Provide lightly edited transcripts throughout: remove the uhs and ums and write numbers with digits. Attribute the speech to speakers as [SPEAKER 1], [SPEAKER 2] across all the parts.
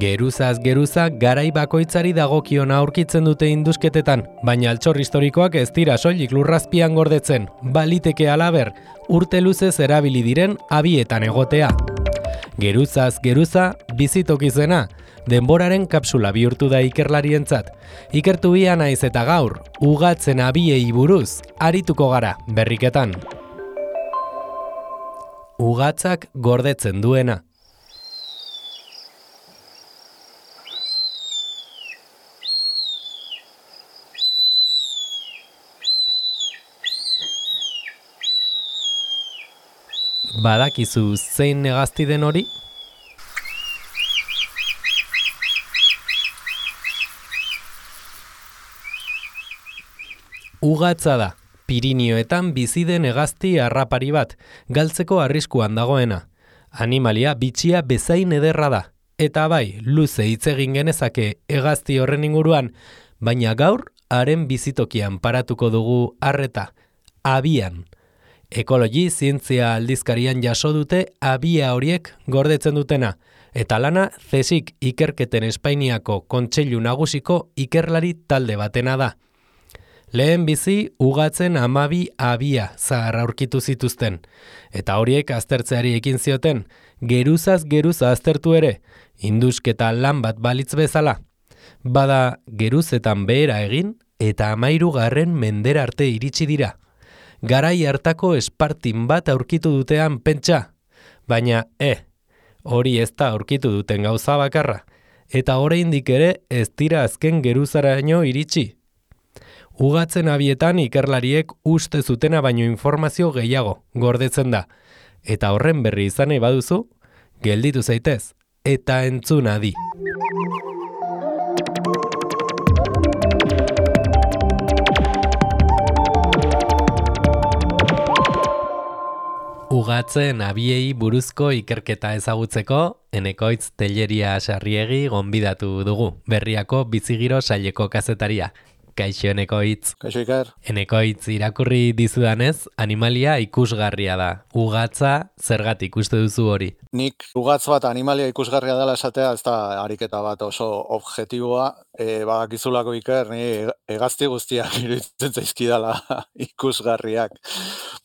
[SPEAKER 1] Geruzaz geruza garai bakoitzari dagokiona aurkitzen dute indusketetan, baina altxor historikoak ez dira soilik lurrazpian gordetzen, baliteke halaber, urte luzez erabili diren abietan egotea. Geruzaz geruza bizitokizena, denboraren kapsula bihurtu da ikerlarientzat. Ikertu bia naiz eta gaur, ugatzen abiei buruz, arituko gara berriketan. Ugatzak gordetzen duena. Badakizu zein hegazti den hori? Ugatza da, Pirinioetan bizi den hegazti harrapari bat, galtzeko arriskuan dagoena. Animalia bitxia bezain ederra da, eta bai, luze hitz egin genezake hegazti horren inguruan, baina gaur haren bizitokian paratuko dugu arreta, abian. Ekologi zientzia aldizkarian jaso dute abia horiek gordetzen dutena, eta lana CSIC ikerketen Espainiako Kontseilu Nagusiko ikerlari talde batena da. Lehen bizi ugatzen 12 abia zahar aurkitu zituzten, eta horiek aztertzeari ekin zioten, geruzaz geruza aztertu ere, indusketa lan bat balitz bezala. Bada geruzetan behera egin, eta 13. mendera arte iritsi dira. Garai hartako espartin bat aurkitu dutean pentsa, baina hori ez da aurkitu duten gauza bakarra, eta oraindik ere ez dira azken geruzaraino iritsi. Ugatzen abietan ikerlariek uste zutena baino informazio gehiago gordetzen da, eta horren berri izan nahi baduzu, gelditu zaitez, eta entzun adi. Ugatzen abiei buruzko ikerketa ezagutzeko, Enekoitz Telleria Sarriegi gonbidatu dugu, Berriako Bizigiro saileko kazetaria. Kaixo Enekoitz.
[SPEAKER 2] Kaixo Iker.
[SPEAKER 1] Enekoitz irakurri dizudanez, animalia ikusgarria da. Ugatza zergatik uste duzu hori?
[SPEAKER 2] Nik ugatz bat animalia ikusgarria dela esatea, ez da ariketa bat oso objektiboa, badakizulako Iker, ni hegazti guztiak iruditzen zaizkidala ikusgarriak.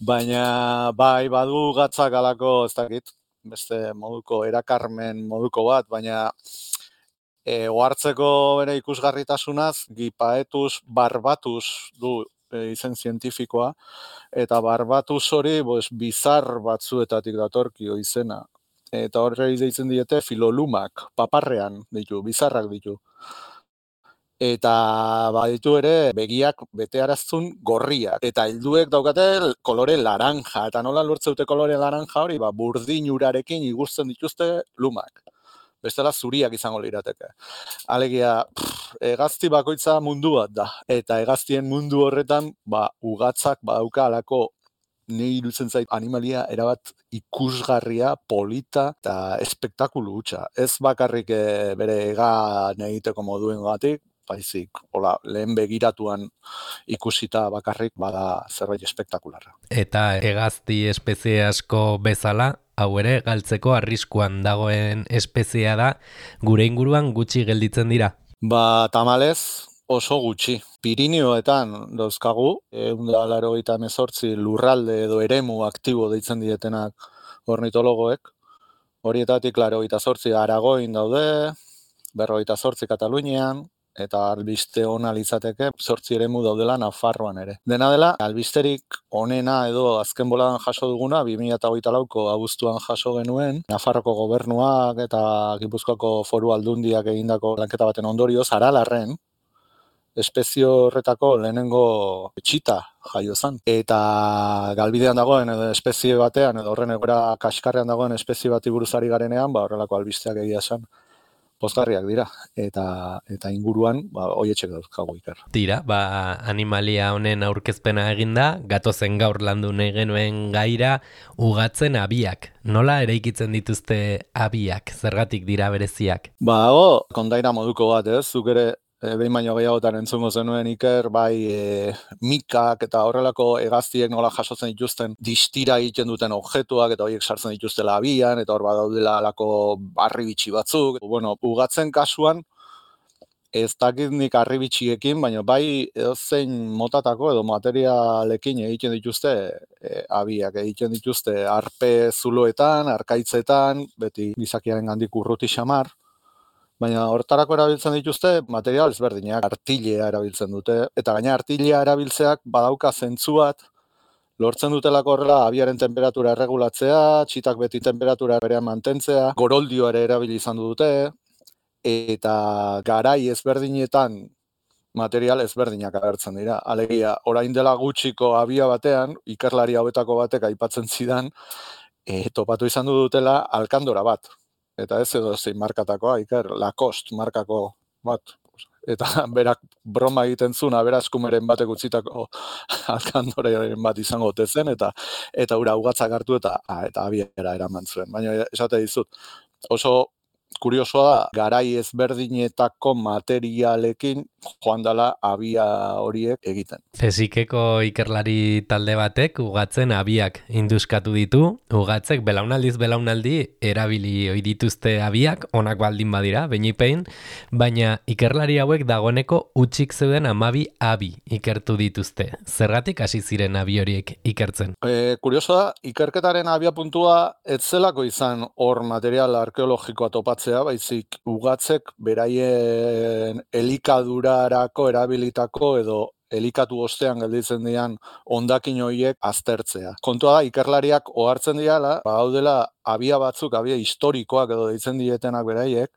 [SPEAKER 2] Baina bai badu ugatzak alako, ez dakit, beste moduko erakarmen moduko bat, baina ohartzeko bere ikusgarritasunaz, Gipaetus barbatus du izen zientifikoa, eta barbatus hori bizar batzuetatik datorkio izena. Eta horre deitzen diete filolumak, paparrean ditu, bizarrak ditu. Eta baditu ere begiak betearaztun gorriak. Eta helduek daukate kolore laranja. Eta nola lortzeute kolore laranja hori, burdin urarekin igusten dituzte lumak. Bestela zuriak izango lirateke. Alegia, hegazti bakoitza mundu bat da. Eta hegaztien mundu horretan, ugatzak badauka alako ni iruditzen zait animalia erabat ikusgarria, polita eta espektakulu hutsa. Ez bakarrik bere egan egiteko moduen gatik, baizik, lehen begiratuan ikusita bakarrik bada zerbait espektakularra.
[SPEAKER 1] Eta hegazti espezie asko bezala, hau ere galtzeko arriskuan dagoen espeziea da, gure inguruan gutxi gelditzen dira.
[SPEAKER 2] Tamalez oso gutxi. Pirinioetan dauzkagu, 188 lurralde edo eremu aktibo deitzen dietenak ornitologoek. Horietatik 88 Aragoin daude, 58 Katalunian, eta albiste ona litzateke 8 eremu daudela Nafarroan ere. Dena dela, albisterik onena edo azken boladan jaso duguna, 2024ko abuztuan jaso genuen, Nafarroko gobernuak eta Gipuzkoako Foru Aldundiak egindako lanketa baten ondorioz, Aralarren, espezio horretako lehenengo txita jaio zen. Eta galbidean dagoen edo espezie batean, edo horren egoera kaskarrean dagoen espezie bati buruzari garenean, horrelako albisteak egia zen. Pozgarriak dira, eta inguruan, hoietxek dauzkagu Iker.
[SPEAKER 1] Tira, animalia honen aurkezpena eginda, gatozen gaur landu nahi genuen gaira, ugatzen abiak. Nola eraikitzen dituzte abiak, zergatik dira bereziak?
[SPEAKER 2] Kondaira moduko bat, zuk ere behin baino gehiagotan entzungo zenuen Iker, bai mikak eta horrelako hegaztiek nola jasotzen dituzten distira egiten duten objektuak eta horiek sartzen dituztela abian, eta hor badaudela alako harribitxi batzuk. Bueno, ugatzen kasuan, ez dakit nik harribitxiekin, baina bai edozein motatako edo materialekin egiten dituzte abiak, egiten dituzte arpe zuloetan, arkaitzetan, beti gizakiaren gandik urruti xamar, baina hortarako erabiltzen dituzte material ezberdinak, artilea erabiltzen dute, eta gaina artilea erabiltzeak badauka zentzu bat, lortzen dutelako horrela abiaren temperatura erregulatzea, txitak beti temperatura berean mantentzea, goroldio ere erabili izan dute, eta garai ezberdinetan material ezberdinak agertzen dira. Alegia, orain dela gutxiko abia batean, ikerlari hauetako batek aipatzen zidan, topatu izan dutela alkandora bat. Eta ez edo zein markatakoa, Iker, Lacoste markako bat. Eta berak broma egiten zuen aberaskumeren batek utzitako alkandoren bat izango zen, eta ura ugatzak hartu eta abiera eraman zuen. Baina esate dizut, oso kuriosoa da, garai ezberdinetako materialekin joan dela abia horiek egiten.
[SPEAKER 1] Fezikeko ikerlari talde batek ugatzen abiak induskatu ditu, ugatzek belaunaldiz belaunaldi erabili ohi dituzte abiak, onak baldin badira, beinipein, baina ikerlari hauek dagoeneko utxik zeuden 12 abi ikertu dituzte. Zergatik hasi ziren abi horiek ikertzen?
[SPEAKER 2] Kuriosoa da, ikerketaren abia puntua ez zelako izan hor material arkeologikoa topatzea, baizik ugatzek beraien elikadurarako erabilitako edo elikatu ostean gelditzen dian hondakin horiek aztertzea. Kontua da, ikerlariak ohartzen diala, badaudela abia batzuk, abia historikoak edo deitzen dietenak beraiek,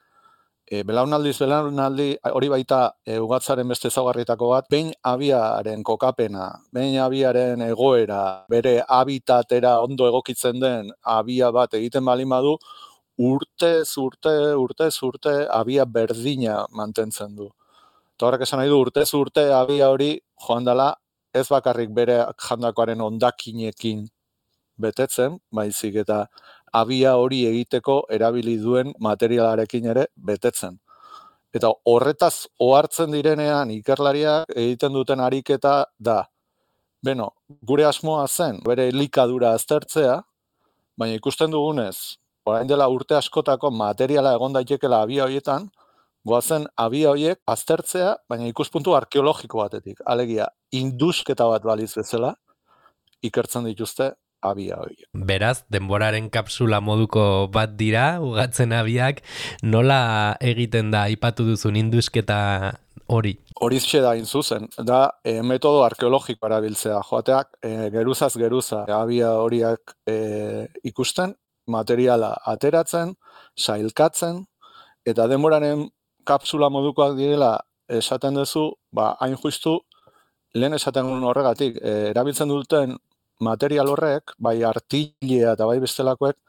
[SPEAKER 2] belaunaldiz belaunaldi hori baita ugatzaren beste ezaugarrietako bat, behin abiaren kokapena, behin abiaren egoera, bere habitatera ondo egokitzen den abia bat egiten baldin badu, urtez urte abia berdina mantentzen du. Eta horrek esan nahi du urtez urte abia hori joan dela ez bakarrik bere jandakoaren hondakinekin betetzen, baizik eta abia hori egiteko erabili duen materialarekin ere betetzen. Eta horretaz ohartzen direnean ikerlariak egiten duten ariketa da, beno, gure asmoa zen bere elikadura aztertzea, baina ikusten dugunez, orain dela urte askotako materiala egon daitekela abia horietan, goazen abia horiek aztertzea, baina ikuspuntu arkeologiko batetik. Alegia, indusketa bat baliz bezala, ikertzen dituzte abia horiek.
[SPEAKER 1] Beraz, denboraren kapsula moduko bat dira, ugatzen abiak, nola egiten da aipatu duzun indusketa hori?
[SPEAKER 2] Horixe da zuzen, da metodo arkeologiko erabiltzea, joateak geruzaz geruza abia horiak ikusten, materiala ateratzen, sailkatzen, eta denboraren kapsula modukoak direla esaten duzu, hain justu, lehen esaten duen horregatik, erabiltzen duten material horrek, bai artilea eta bai bestelakoek,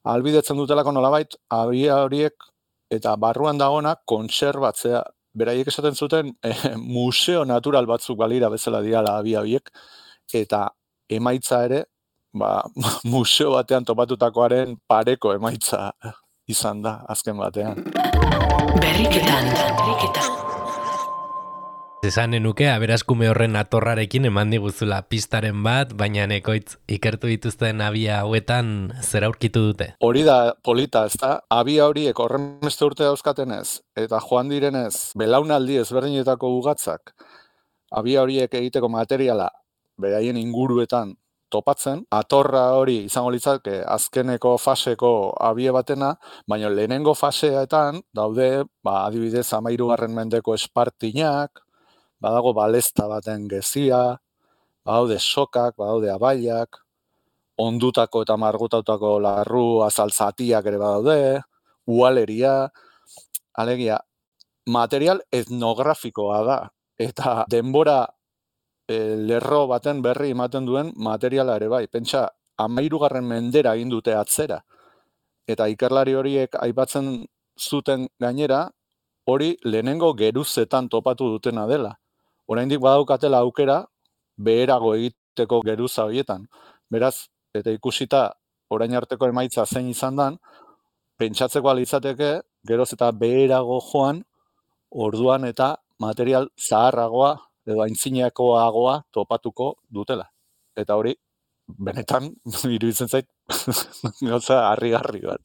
[SPEAKER 2] ahalbidetzen dutelako nolabait, abia horiek eta barruan dagonak kontserbatzea. Beraiek esaten zuten museo natural batzuk balira bezala diala abia horiek, eta emaitza ere, museo batean topatutakoaren pareko emaitza izan da, azken batean.
[SPEAKER 3] Berriketan.
[SPEAKER 1] Esanen nuke, aberaskume horren atorrarekin eman diguzula pistaren bat, baina nekoitz ikertu dituzten abia hauetan zer aurkitu dute?
[SPEAKER 2] Hori da polita, ez da? Abia horiek horrenbeste urte dauzkatenez, eta joan direnez, belaunaldi ezberdinetako ugatzak, abia horiek egiteko materiala beraien inguruetan topatzen, atorra hori izango litzake azkeneko faseko abie batena, baina lehenengo faseetan daude, adibidez 13. mendeko espartinak, badago balesta baten gezia, badaude sokak, badaude abaiak, ondutako eta margutautako larru azaltzatiak ere badaude, ualeria, alegia, material etnografikoa da, eta denbora lerro baten berri ematen duen materiala ere bai. Pentsa, 13. mendera egin dute atzera. Eta ikerlari horiek aipatzen zuten gainera, hori lehenengo geruzetan topatu dutena dela. Oraindik badaukatela aukera, beherago egiteko geruza horietan. Beraz, eta ikusita orain arteko emaitza zein izan dan, pentsatzeko alitzateke, geroz eta beherago joan, orduan eta material zaharragoa edo aintzinekoagoa topatuko dutela. Eta hori, benetan, iruditzen zait, gauza harrigarri bat.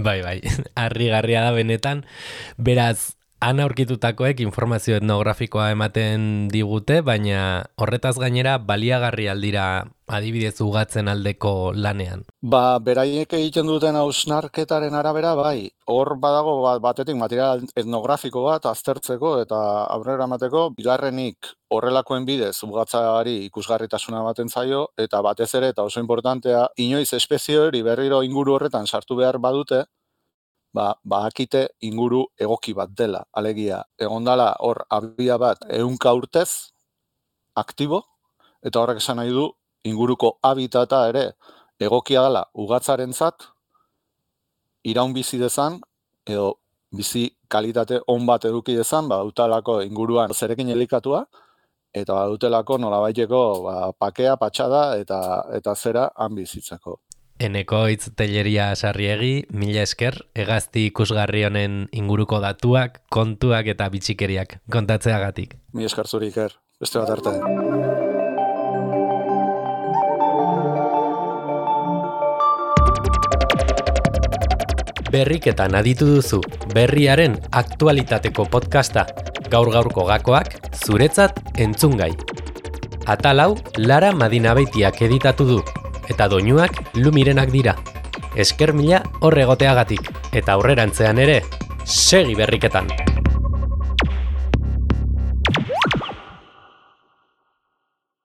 [SPEAKER 1] Bai, harrigarria da benetan. Beraz, han aurkitutakoek informazio etnografikoa ematen digute, baina horretaz gainera baliagarri aldira adibidez ugatzen aldeko lanean.
[SPEAKER 2] Beraiek egiten duten hausnarketaren arabera, bai, hor badago batetik material etnografiko bat aztertzeko eta aurrera emateko, bigarrenik horrelakoen bidez ugatzaari ikusgarritasuna ematen zaio, eta batez ere, eta oso importantea, inoiz espezie hori berriro inguru horretan sartu behar badute, bakite inguru egoki bat dela. Alegia, egondala hor abia bat 100 urtez aktibo, eta horrek esan nahi du inguruko habitata ere egokia dela ugatzarentzat iraun bizi dezan edo bizi kalitate on bat eduki dezan, utalako inguruan zerekin elikatua eta badutelako nolabaiteko pakea, patxada eta zera han bizitzeko.
[SPEAKER 1] Eneko Hitz Telleria Sarriegi, mila esker, hegazti ikusgarri honen inguruko datuak, kontuak eta bitxikeriak kontatzeagatik.
[SPEAKER 2] Mila esker zuri, Iker, beste bat arte.
[SPEAKER 1] Berriketan aditu duzu, berriaren aktualitateko podcasta, gaur-gaurko gakoak, zuretzat entzungai. Atal hau, Lara Madinabeitiak editatu du, eta doinuak Lumirenak dira. Esker mila hor egoteagatik, eta aurrerantzean ere, segi berriketan!